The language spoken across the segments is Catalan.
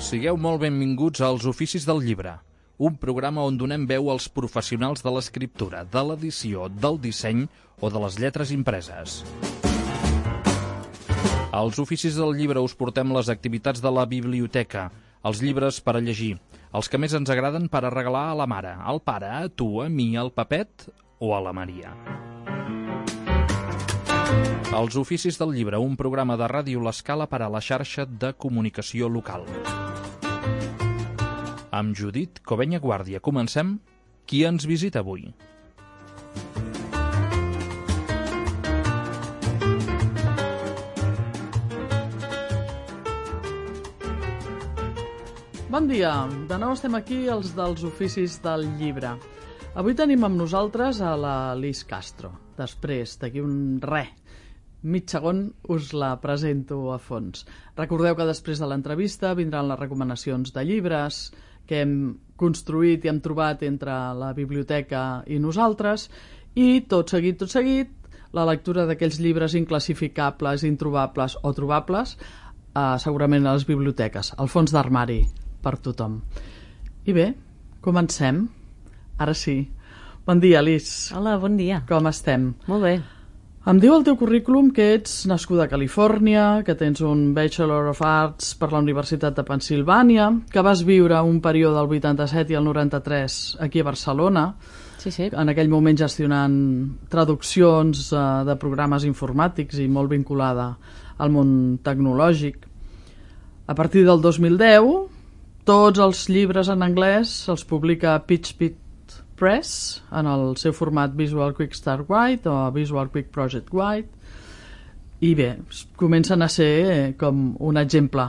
Sigueu molt benvinguts als Oficis del Llibre, un programa on donem veu als professionals de l'escriptura, de l'edició, del disseny o de les lletres impreses. Als Oficis del Llibre us portem les activitats de la biblioteca, els llibres per a llegir, els que més ens agraden per a regalar a la mare, al pare, a tu, a mi, al Pepet o a la Maria. Els Oficis del Llibre, un programa de Ràdio L'Escala per a la xarxa de comunicació local. Amb Judit Covenya Guàrdia comencem. Qui ens visita avui? Bon dia, de nou estem aquí, els dels Oficis del Llibre. Avui tenim amb nosaltres a la Lis Castro. Després, d'aquí mig segon, us la presento a fons. Recordeu que després de l'entrevista vindran les recomanacions de llibres que hem construït i hem trobat entre la biblioteca i nosaltres, i tot seguit, la lectura d'aquells llibres inclassificables, introbables o trobables, segurament a les biblioteques, al fons d'armari, per tothom. I bé, comencem. Ara sí. Bon dia, Lis. Hola, bon dia. Com estem? Molt bé. Em diu el teu currículum que ets nascuda a Califòrnia, que tens un Bachelor of Arts per la Universitat de Pennsilvània, que vas viure un període del 87 i el 93 aquí a Barcelona, Sí. en aquell moment gestionant traduccions de programes informàtics i molt vinculada al món tecnològic. A partir del 2010, tots els llibres en anglès els publica Pitch Press en el seu format Visual Quick Start Guide o Visual Quick Project Guide, i bé, comencen a ser com un exemple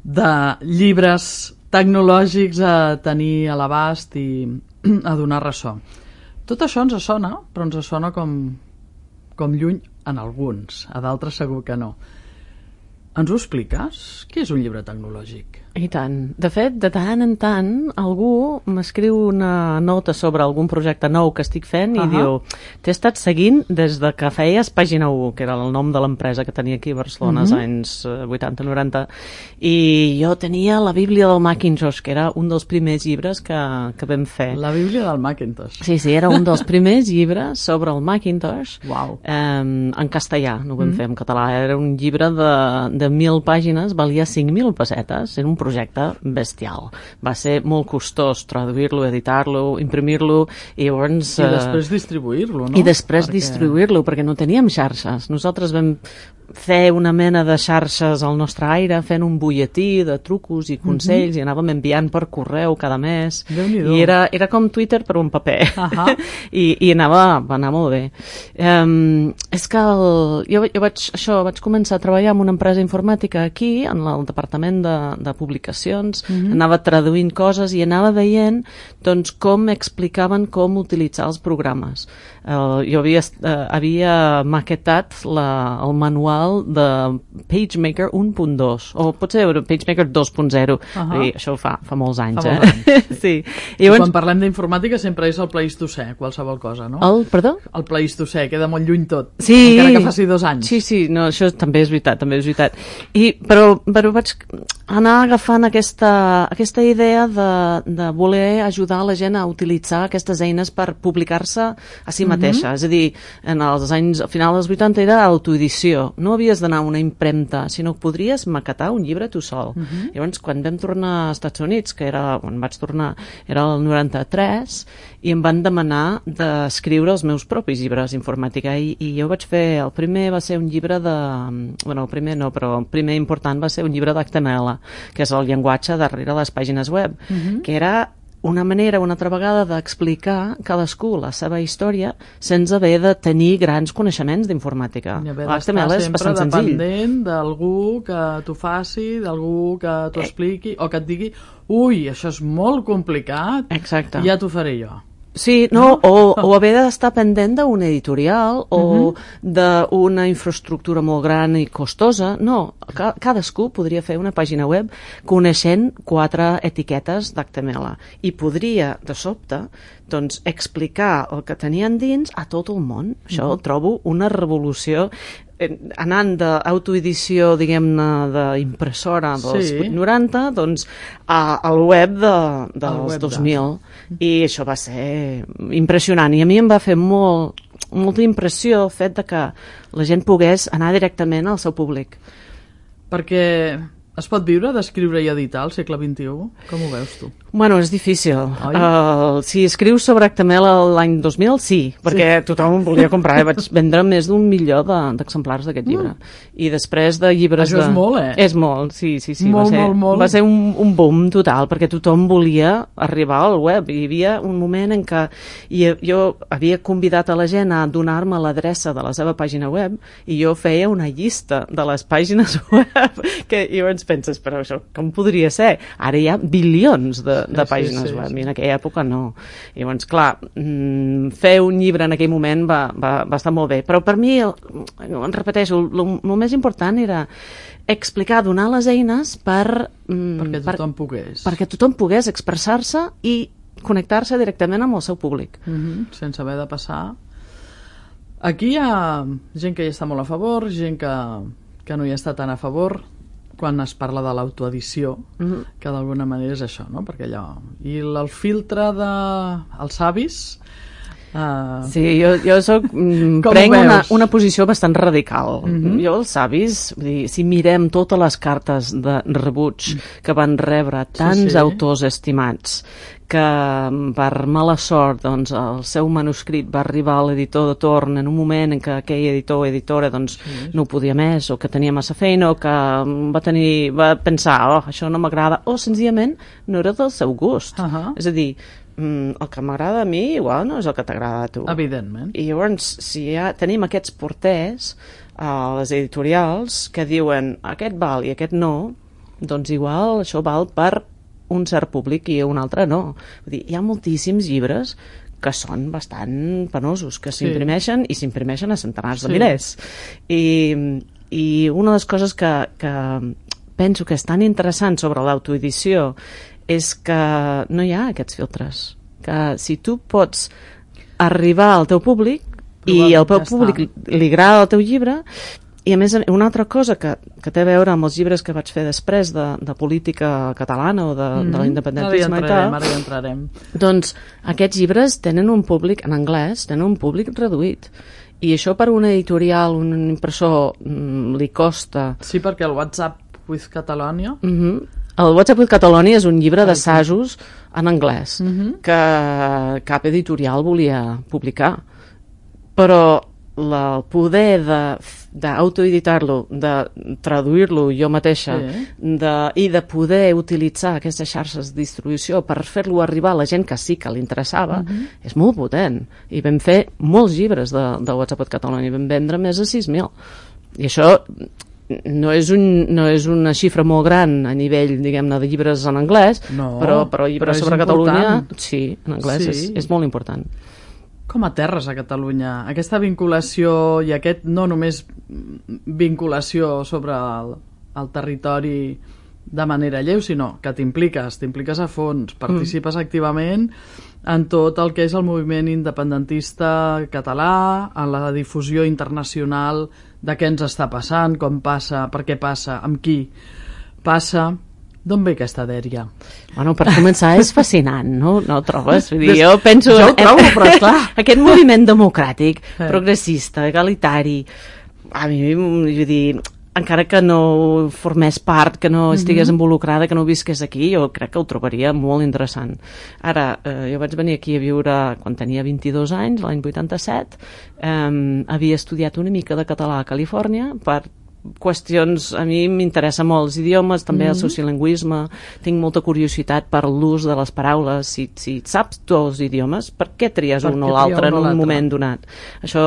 de llibres tecnològics a tenir a l'abast i a donar ressò. Tot això ens sona, però ens sona com lluny en alguns, a d'altres segur que no. Ens ho expliques? Què és un llibre tecnològic? I tant. De fet, de tant en tant, algú m'escriu una nota sobre algun projecte nou que estic fent i diu, t'he estat seguint des de que feies Pàgina 1, que era el nom de l'empresa que tenia aquí a Barcelona als anys 80-90, i jo tenia la Bíblia del Macintosh, que era un dels primers llibres que vam fer. La Bíblia del Macintosh. Sí, era un dels primers llibres sobre el Macintosh. Uau. En castellà, no ho vam fer en català. Era un llibre de 1.000 pàgines, valia 5.000 pessetes, era un projecte bestial. Va ser molt costós traduir-lo, editar-lo, imprimir-lo, i llavors... I després distribuir-lo, no? I després distribuir-lo, perquè no teníem xarxes. Nosaltres vam fer una mena de xarxes al nostre aire, fent un butlletí de trucos i consells, i anàvem enviant per correu cada mes. Déu-n'hi-do. I era com Twitter però en paper. I va anar molt bé. És que jo vaig començar a treballar en una empresa informàtica aquí, en el departament de publicacions, anava traduint coses i anava veient doncs, com explicaven com utilitzar els programes. Jo havia maquetat el manual de PageMaker 1.2, o potser PageMaker 2.0, i això fa molts anys. Sí. I quan parlem d'informàtica sempre és el Pleistocè, qualsevol cosa, no? Perdó? El Pleistocè, queda molt lluny tot, sí, encara que faci 2 anys. Sí, no, això també és veritat. Però vaig anar agafant aquesta idea de voler ajudar la gent a utilitzar aquestes eines per publicar-se a si mateixa. És a dir, a final dels 80 era autoedició. No havies d'anar a una impremta, sinó que podries maquetar un llibre tu sol. Llavors, quan vam tornar als Estats Units, quan vaig tornar, era el 93, i em van demanar d'escriure els meus propis llibres d'informàtica, i jo vaig fer, el primer va ser un llibre el primer important va ser un llibre d'HTML, que és el llenguatge darrere les pàgines web, que era una manera, una altra vegada, d'explicar cadascú la seva història sense haver de tenir grans coneixements d'informàtica. L'HTML és bastant senzill. Dependent d'algú que t'ho faci, d'algú que t'ho expliqui, o que et digui, ui, això és molt complicat, exacte, ja t'ho faré jo. Sí, no, o haver d'estar pendent d'un editorial o d'una infraestructura molt gran i costosa. No, cadascú podria fer una pàgina web coneixent 4 etiquetes d'HTML i podria, de sobte, doncs, explicar el que tenien dins a tot el món. Això ho trobo una revolució anant d'autoedició, diguem-ne, d'impressora dels 90, doncs al web dels 2000. I això va ser impressionant. I a mi em va fer molta impressió el fet de que la gent pogués anar directament al seu públic. Perquè es pot viure d'escriure i editar al segle XXI? Com ho veus tu? Bueno, és difícil. Si escrius sobre HTML l'any 2000, sí, perquè tothom volia comprar. Vaig vendre més d'1 milió d'exemplars d'aquest llibre. I després de llibres... Això és molt, eh? És molt, sí. Molt. Va ser un boom total, perquè tothom volia arribar al web. Hi havia un moment en què jo havia convidat a la gent a donar-me l'adreça de la seva pàgina web i jo feia una llista de les pàgines web que llavors penses, però això com podria ser? Ara hi ha bilions de pàgines web, i en aquella època no. I llavors, clar, fer un llibre en aquell moment va estar molt bé, però per mi, repeteixo, el més important era explicar, donar les eines perquè tothom pogués expressar-se i connectar-se directament amb el seu públic. Sense haver de passar. Aquí hi ha gent que hi està molt a favor, gent que no hi està tan a favor quan es parla de l'autoedició, que d'alguna manera és això, no? Perquè allò... I el filtre dels avis... Sí, jo prenc una posició bastant radical. Jo, els avis, si mirem totes les cartes de rebuig que van rebre tants autors estimats, que per mala sort doncs, el seu manuscrit va arribar a l'editor de torn en un moment en què aquell editor o editora doncs, no ho podia més, o que tenia massa feina, o que va pensar, això no m'agrada, o senzillament no era del seu gust. És a dir, el que m'agrada a mi igual no és el que t'agrada a tu. Evidentment. I llavors, si ja tenim aquests porters a les editorials que diuen aquest val i aquest no, doncs igual això val per un cert públic i un altre no. Vull dir, hi ha moltíssims llibres que són bastant penosos, que s'imprimeixen i s'imprimeixen a centenars de milers. I una de les coses que penso que és tan interessant sobre l'autoedició és que no hi ha aquests filtres. Que si tu pots arribar al teu públic i al teu públic li agrada el teu llibre. I a més, una altra cosa que té a veure amb els llibres que vaig fer després de política catalana o de l'independentisme i tal, ara hi entrarem. Doncs aquests llibres tenen un públic en anglès, tenen un públic reduït. I això per una editorial, un impressor, li costa... Sí, perquè el WhatsApp with Catalonia... El WhatsApp with Catalonia és un llibre d'assajos en anglès que cap editorial volia publicar. Però el poder d'autoeditar-lo, de traduir-lo jo mateixa i de poder utilitzar aquestes xarxes de distribució per fer-lo arribar a la gent que sí que li interessava és molt potent. I vam fer molts llibres de WhatsApp with Catalonia, vam vendre més de 6.000. I això no és una xifra molt gran a nivell, diguem-ne, de llibres en anglès, però llibres sobre Catalunya, sí, en anglès és molt important. Com aterres a Catalunya? Aquesta vinculació i aquest no només vinculació sobre el territori de manera lleu, sinó que t'impliques a fons, participes activament en tot el que és el moviment independentista català, en la difusió internacional de què ens està passant, com passa, per què passa, amb qui passa. D'on ve aquesta dèria? Bueno, per començar és fascinant, no ho trobes? Vull dir, jo penso... Jo ho trobo, però clar... Aquest moviment democràtic, progressista, egalitari, a mi, vull dir, encara que no formés part, que no estigués involucrada, que no visqués aquí, jo crec que ho trobaria molt interessant. Ara, jo vaig venir aquí a viure quan tenia 22 anys, l'any 87, havia estudiat una mica de català a Califòrnia per qüestions, a mi m'interessa molt els idiomes, també el sociolingüisme, tinc molta curiositat per l'ús de les paraules. Si saps tu els idiomes, per què tries un o l'altre en un moment donat? Això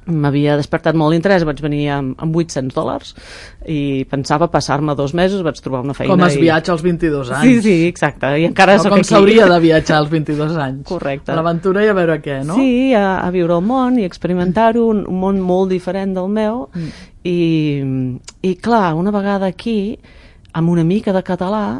m'havia despertat molt l'interès. Vaig venir amb $800 i pensava passar-me 2 mesos, vaig trobar una feina. Com es viatja als 22 anys. Sí, exacte. I encara soc aquí. Com s'hauria de viatjar als 22 anys. Correcte. A l'aventura i a veure què, no? Sí, a viure el món i experimentar-ho, un món molt diferent del meu. I clar, una vegada aquí, amb una mica de català,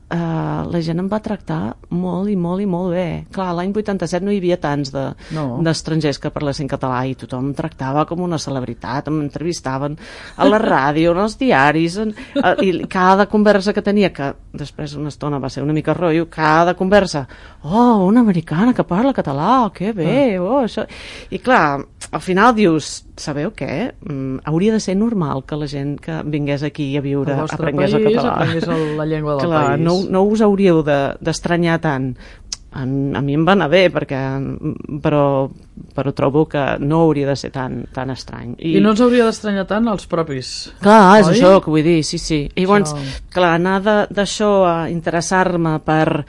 la gent em va tractar molt i molt i molt bé. Clar, l'any 87 no hi havia tants d'estrangers que parlessin català i tothom em tractava com una celebritat, em entrevistaven a la ràdio, en els diaris, i cada conversa que tenia, que després una estona va ser una mica rotllo, cada conversa, una americana que parla català, que bé, això... I clar, al final dius, sabeu què? Hauria de ser normal que la gent que vingués aquí a viure aprengués el català. Aprengués la llengua del clar, país. No us hauríeu d'estranyar tant. A mi em va anar bé, però trobo que no hauria de ser tan estrany. I no ens hauria d'estranyar tant els propis. Clar, és això que vull dir, sí. I llavors, clar, anar d'això a interessar-me per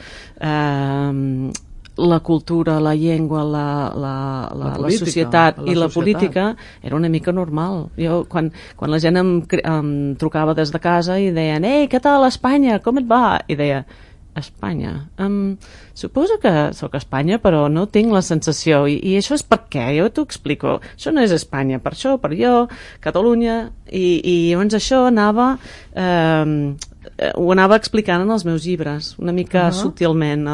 la cultura, la llengua, la societat i la política era una mica normal. Jo, quan la gent em trucava des de casa i deien, ei, què tal Espanya, com et va? I deia, Espanya? Suposo que sóc a Espanya, però no tinc la sensació. I això és per què? Jo t'ho explico. Això no és Espanya, per això, per jo, Catalunya, i llavors això ho anava explicant en els meus llibres, una mica sutilment.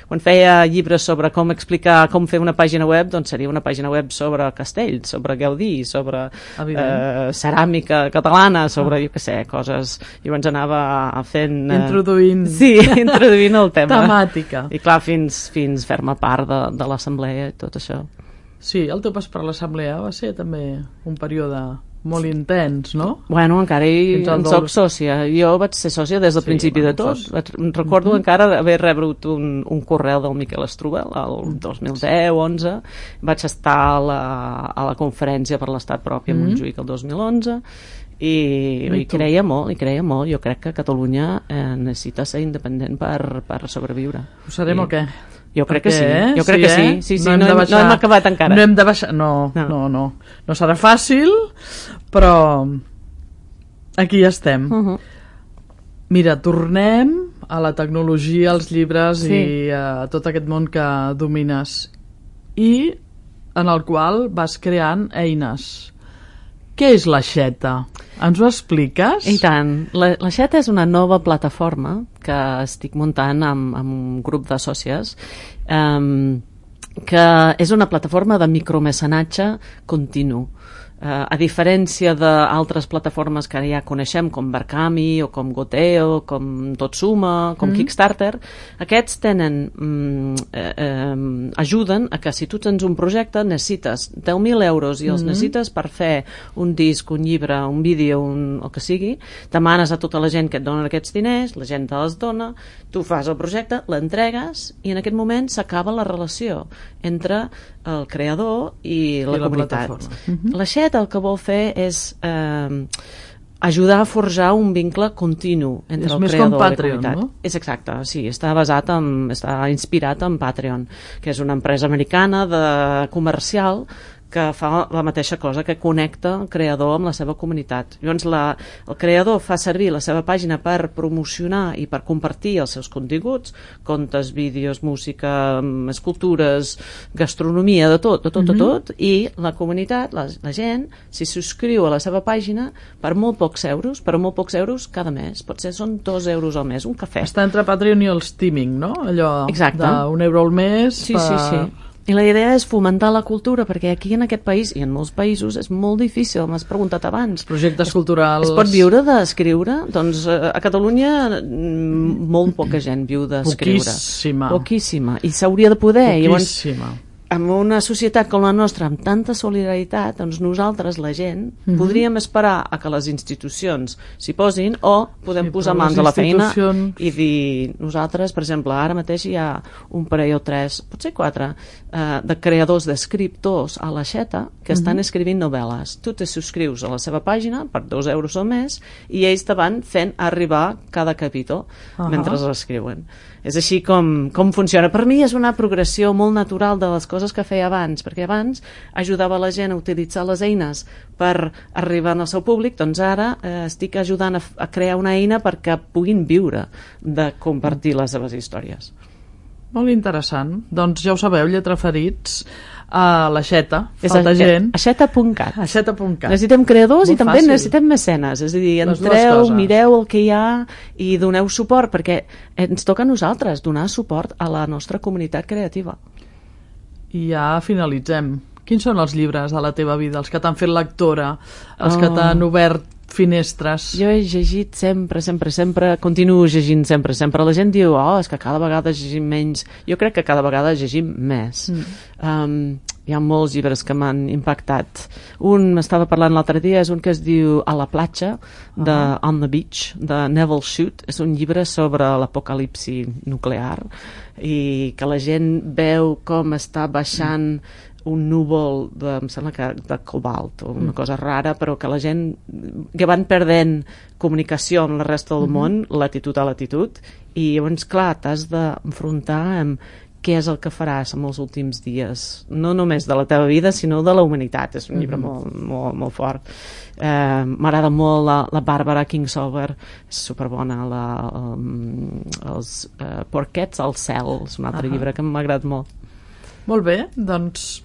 Quan feia llibres sobre com explicar, com fer una pàgina web, doncs seria una pàgina web sobre castells, sobre Gaudí, sobre ceràmica catalana, sobre, jo què sé, coses... Llavors anava fent... Introduint. Sí, introduint el tema. Temàtica. I clar, fins fer-me part de l'assemblea i tot això. Sí, el teu pas per l'assemblea va ser també un període molt intens, no? Bueno, encara en soc sòcia. Jo vaig ser sòcia des del principi de tot. Recordo encara haver rebut un correu del Miquel Strubel el 2010-11. Vaig estar a la conferència per l'Estat propi a Montjuïc el 2011 i creia molt. Jo crec que Catalunya necessita ser independent per sobreviure. Ho serem o què? Jo crec que sí. Jo crec que sí. No hem acabat encara. No hem de baixar. No serà fàcil, però aquí estem. Mira, tornem a la tecnologia, als llibres i a tot aquest món que domines i en el qual vas creant eines. Què és l'Aixeta? Ens ho expliques? I tant. L'Aixeta és una nova plataforma que estic muntant amb un grup de sòcies que és una plataforma de micromecenatge continu. A diferència d'altres plataformes que ja coneixem, com Barkami o com Goteo, com Totsuma, com Kickstarter, aquests ajuden a que si tu tens un projecte necessites 10.000 euros i els necessites per fer un disc, un llibre, un vídeo, el que sigui, demanes a tota la gent que et donen aquests diners, la gent te els dona, tu fas el projecte, l'entregues i en aquest moment s'acaba la relació entre el creador i la comunitat. L'Aixeta el que vol fer és ajudar a forjar un vincle continu entre el creador i la comunitat. No? És exacte, sí, està inspirat en Patreon, que és una empresa americana comercial que fa la mateixa cosa, que connecta el creador amb la seva comunitat. Llavors el creador fa servir la seva pàgina per promocionar i per compartir els seus continguts, contes, vídeos, música, escultures, gastronomia, de tot, i la comunitat, la gent, s'hi subscriu a la seva pàgina per molt pocs euros cada mes. Potser són 2 euros al mes, un cafè. Està entre Patreon i el Steaming, no? Allò d'1 euro al mes. Sí. I la idea és fomentar la cultura, perquè aquí en aquest país i en molts països és molt difícil, m'has preguntat abans. Projectes culturals... Es pot viure d'escriure? Doncs a Catalunya molt poca gent viu d'escriure. Poquíssima. I s'hauria de poder. Poquíssima. En una societat com la nostra, amb tanta solidaritat, doncs nosaltres, la gent, podríem esperar a que les institucions s'hi posin o podem posar mans a la feina i dir, nosaltres, per exemple, ara mateix hi ha un parell o 3, potser 4, de creadors d'escriptors a l'Aixeta que estan escrivint novel·les. Tu te subscrius a la seva pàgina per 2 euros al mes i ells te van fent arribar cada capítol mentre l'escriuen. És així com funciona. Per mi és una progressió molt natural de les coses que feia abans, perquè abans ajudava la gent a utilitzar les eines per arribar al seu públic, doncs ara estic ajudant a crear una eina perquè puguin viure de compartir les seves històries. Molt interessant. Doncs ja ho sabeu, Lletraferits, a l'Aixeta. Falta gent. Aixeta.cat. Aixeta.cat. Necessitem creadors Molt i també fàcil. necessitem mecenes. És a dir, Les dues entreu, coses. mireu el que hi ha i doneu suport, perquè ens toca a nosaltres donar suport a la nostra comunitat creativa. I ja finalitzem. Quins són els llibres de la teva vida, els que t'han fet lectora, els que t'han obert finestres? Jo he llegit sempre, continuo llegint sempre. La gent diu, és que cada vegada llegim menys. Jo crec que cada vegada llegim més. Hi ha molts llibres que m'han impactat. Un, m'estava parlant l'altre dia, és un que es diu A la platja, de On the Beach, de Neville Shute. És un llibre sobre l'apocalipsi nuclear i que la gent veu com està baixant un núvol em sembla que de cobalt o una cosa rara, però que la gent que van perdent comunicació amb la resta del món, latitud a latitud, i llavors, clar, t'has d'enfrontar amb què és el que faràs en els últims dies, no només de la teva vida, sinó de la humanitat. És un llibre molt, molt, molt fort. M'agrada molt la Bàrbara Kingsolver, és superbona. Els Porquets al cel, és un altre llibre que m'ha agradat molt. Molt bé, doncs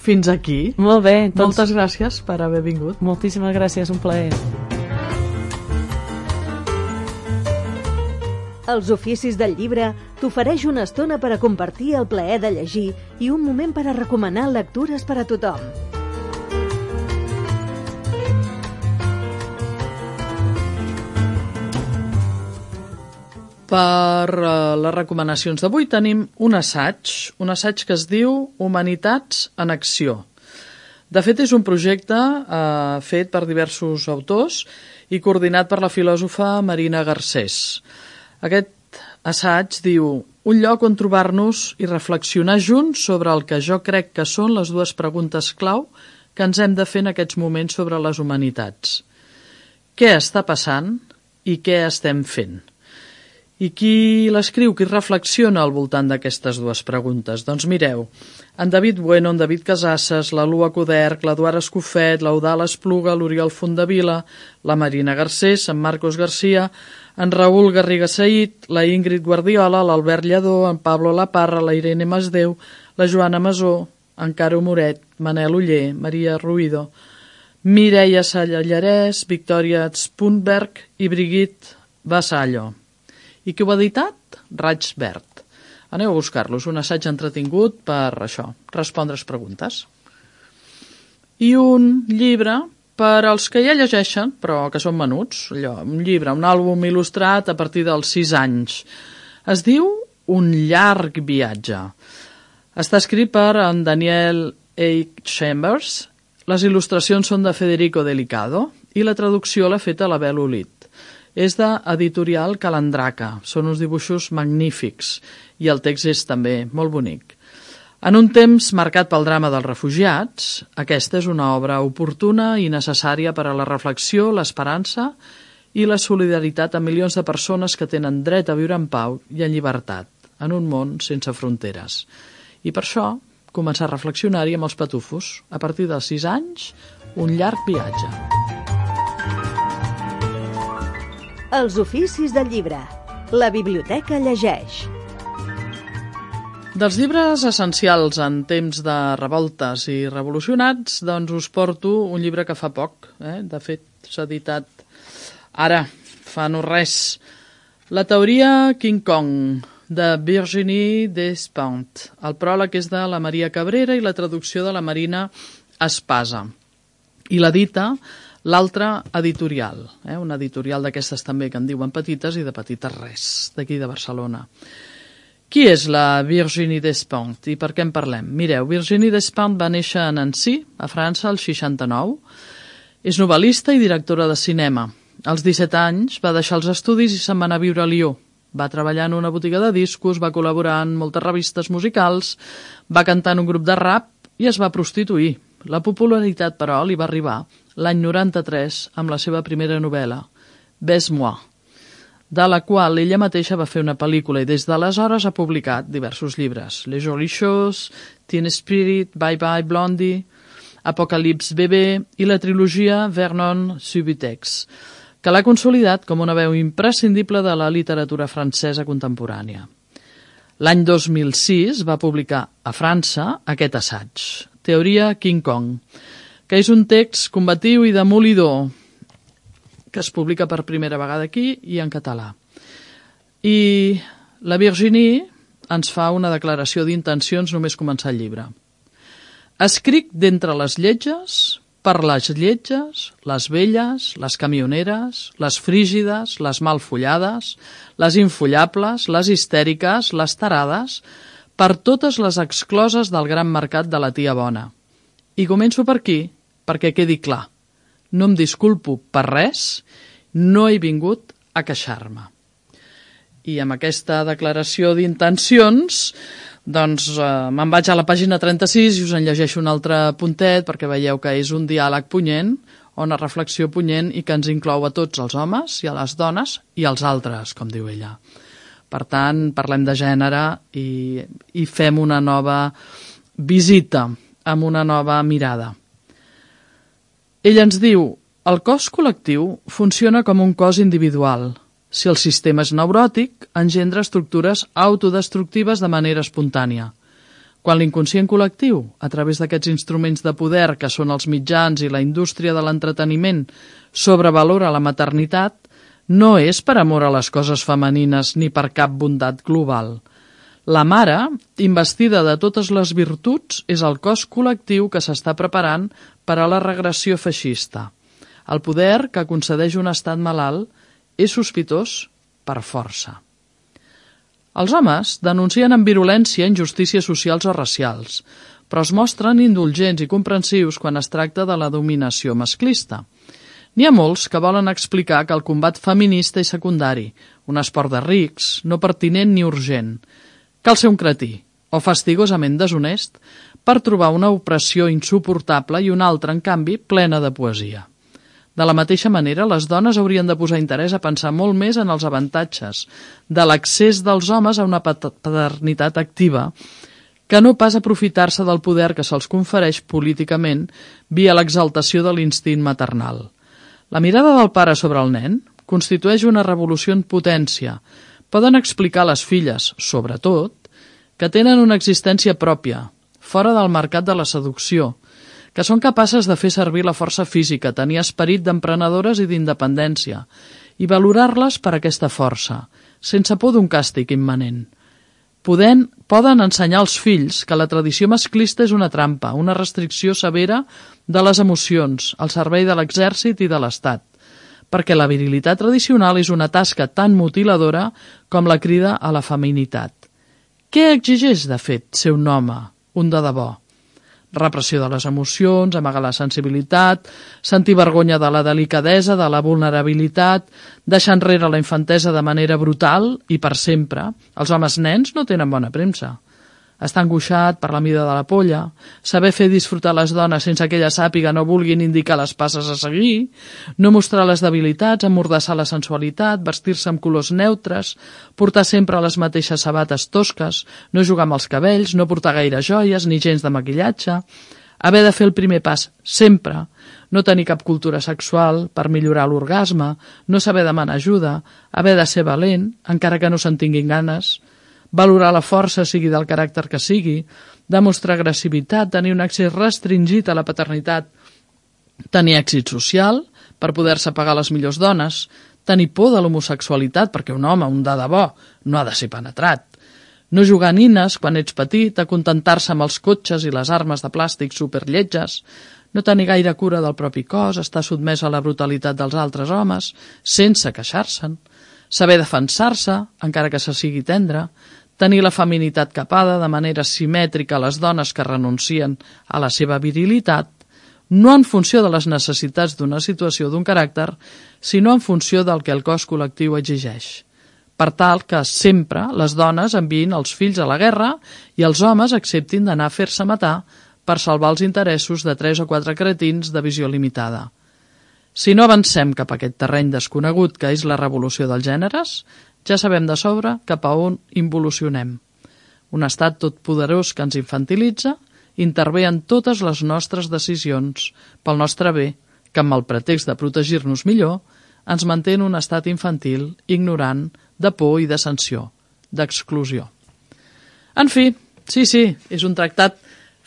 fins aquí. Molt bé. Moltes gràcies per haver vingut. Moltíssimes gràcies, un plaer. Els oficis del llibre t'ofereix una estona per a compartir el plaer de llegir i un moment per a recomanar lectures per a tothom. Per les recomanacions d'avui tenim un assaig que es diu Humanitats en Acció. De fet, és un projecte fet per diversos autors i coordinat per la filòsofa Marina Garcés. Aquest assaig diu: un lloc on trobar-nos i reflexionar junts sobre el que jo crec que són les dues preguntes clau que ens hem de fer en aquests moments sobre les humanitats. Què està passant i què estem fent? I qui l'escriu, qui reflexiona al voltant d'aquestes dues preguntes? Doncs mireu, en David Bueno, en David Casasses, la Lua Coderch, l'Eduard Escofet, l'Eudal Espluga, l'Oriol Fondavila, la Marina Garcés, en Marcos Garcia, en Raül Garriga Saïd, la Ingrid Guardiola, l'Albert Lledó, en Pablo Laparra, la Irene Masdeu, la Joana Masó, en Caro Moret, Manel Oller, Maria Ruido, Mireia Sallarès, Victòria Spunberg i Brigitte Vassallo. I qui ho ha editat? Raig Verd. Aneu a buscar-los, un assaig entretingut per això, respondre's preguntes. I un llibre per als que ja llegeixen, però que són menuts, un llibre, un àlbum il·lustrat a partir dels 6 anys. Es diu Un llarg viatge. Està escrit per en Daniel H. Chambers, les il·lustracions són de Federico Delicado i la traducció l'ha feta la Bel Olit. És d'Editorial Calandraca, són uns dibuixos magnífics i el text és també molt bonic. En un temps marcat pel drama dels refugiats, aquesta és una obra oportuna i necessària per a la reflexió, l'esperança i la solidaritat amb milions de persones que tenen dret a viure en pau i en llibertat, en un món sense fronteres. I per això, començar a reflexionar-hi amb els patufos. A partir dels 6 anys, un llarg viatge. Els oficis del llibre. La biblioteca llegeix. Dels llibres essencials en temps de revoltes i revolucionats, doncs us porto un llibre que fa poc. De fet, s'ha editat ara, fa no res. La teoria King Kong, de Virginie Despentes. El pròleg és de la Maria Cabrera i la traducció de la Marina Espasa. I l'edita l'altra editorial, una editorial d'aquestes també que en diuen petites i de petites res, d'aquí de Barcelona. Qui és la Virginie Despentes i per què en parlem? Mireu, Virginie Despentes va néixer a Nancy, a França, al 69. És novel·lista i directora de cinema. Als 17 anys va deixar els estudis i se'n va anar a viure a Lió. Va treballar en una botiga de discos, va col·laborar en moltes revistes musicals, va cantar en un grup de rap i es va prostituir. La popularitat, però, li va arribar l'any 93 amb la seva primera novel·la, Baise-moi, de la qual ella mateixa va fer una pel·lícula i des d'aleshores ha publicat diversos llibres. Les Jolies Choses, Teen Spirit, Bye Bye Blondie, Apocalypse Bébé i la trilogia Vernon Subutex, que l'ha consolidat com una veu imprescindible de la literatura francesa contemporània. L'any 2006 va publicar a França aquest assaig, Teoria King Kong, que és un text combatiu i demolidor que es publica per primera vegada aquí i en català. I la Virginie ens fa una declaració d'intencions només començar el llibre. Escric d'entre les lletges, per les lletges, les velles, les camioneres, les frígides, les malfollades, les infollables, les histèriques, les tarades, per totes les excloses del gran mercat de la tia bona. I començo per aquí, perquè quedi clar. No em disculpo per res, no he vingut a queixar-me. I amb aquesta declaració d'intencions, doncs me'n vaig a la pàgina 36 i us en llegeixo un altre puntet perquè veieu que és un diàleg punyent o una reflexió punyent i que ens inclou a tots els homes i a les dones i als altres, com diu ella. Per tant, parlem de gènere i fem una nova visita amb una nova mirada. Ella ens diu: el cos col·lectiu funciona com un cos individual. Si el sistema és neuròtic, engendra estructures autodestructives de manera espontània. Quan l'inconscient col·lectiu, a través d'aquests instruments de poder que són els mitjans i la indústria de l'entreteniment, sobrevalora la maternitat, no és per amor a les coses femenines ni per cap bondat global. La mare, investida de totes les virtuts, és el cos col·lectiu que s'està preparant per a la regressió feixista. El poder que concedeix un estat malalt és sospitós per força. Els homes denuncien amb virulència injustícies socials o racials, però es mostren indulgents i comprensius quan es tracta de la dominació masclista. N'hi ha molts que volen explicar que el combat feminista és secundari, un esport de rics, no pertinent ni urgent. Cal ser un cretí, o fastigosament deshonest, per trobar una opressió insuportable i una altra, en canvi, plena de poesia. De la mateixa manera, les dones haurien de posar interès a pensar molt més en els avantatges de l'accés dels homes a una paternitat activa que no pas aprofitar-se del poder que se'ls confereix políticament via l'exaltació de l'instint maternal. La mirada del pare sobre el nen constitueix una revolució en potència. Poden explicar a les filles, sobretot, que tenen una existència pròpia, fora del mercat de la seducció, que són capaces de fer servir la força física, tenir esperit d'emprenedores i d'independència, i valorar-les per aquesta força, sense por d'un càstig immanent. Poden ensenyar als fills que la tradició masclista és una trampa, una restricció severa de les emocions, al servei de l'exèrcit i de l'Estat, perquè la virilitat tradicional és una tasca tan mutiladora com la crida a la feminitat. Què exigeix, de fet, ser un home, un de debò? Repressió de les emocions, amagar la sensibilitat, sentir vergonya de la delicadesa, de la vulnerabilitat, deixar enrere la infantesa de manera brutal i per sempre. Els homes nens no tenen bona premsa. Estar angoixat per la mida de la polla, saber fer disfrutar les dones sense que elles sàpiguen o vulguin indicar les passes a seguir, no mostrar les debilitats, emmordassar la sensualitat, vestir-se amb colors neutres, portar sempre les mateixes sabates tosques, no jugar amb els cabells, no portar gaire joies ni gens de maquillatge, haver de fer el primer pas sempre, no tenir cap cultura sexual per millorar l'orgasme, no saber demanar ajuda, haver de ser valent, encara que no se'n tinguin ganes, valorar la força, sigui del caràcter que sigui, demostrar agressivitat, tenir un accés restringit a la paternitat, tenir èxit social per poder-se pagar les millors dones, tenir por de l'homosexualitat perquè un home, un de debò, no ha de ser penetrat, no jugar a nines quan ets petit, acontentar-se amb els cotxes i les armes de plàstic superlletges, no tenir gaire cura del propi cos, estar sotmès a la brutalitat dels altres homes, sense queixar-se'n, saber defensar-se, encara que se sigui tendre, tenir la feminitat capada de manera simètrica a les dones que renuncien a la seva virilitat, no en funció de les necessitats d'una situació o d'un caràcter, sinó en funció del que el cos col·lectiu exigeix. Per tal que sempre les dones enviïn els fills a la guerra i els homes acceptin d'anar a fer-se matar per salvar els interessos de 3 o 4 cretins de visió limitada. Si no avancem cap a aquest terreny desconegut que és la revolució dels gèneres, ja sabem de sobre cap a on involucionem. Un estat totpoderós que ens infantilitza intervé en totes les nostres decisions pel nostre bé, que amb el pretext de protegir-nos millor ens manté en un estat infantil, ignorant, de por i de sanció, d'exclusió. En fi, sí, és un tractat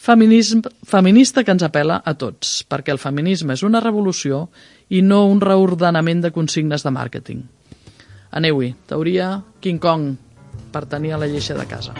feminista que ens apel·la a tots, perquè el feminisme és una revolució i no un reordenament de consignes de màrqueting. Aneu-hi, teoria King Kong, per tenir a la lleixa de casa.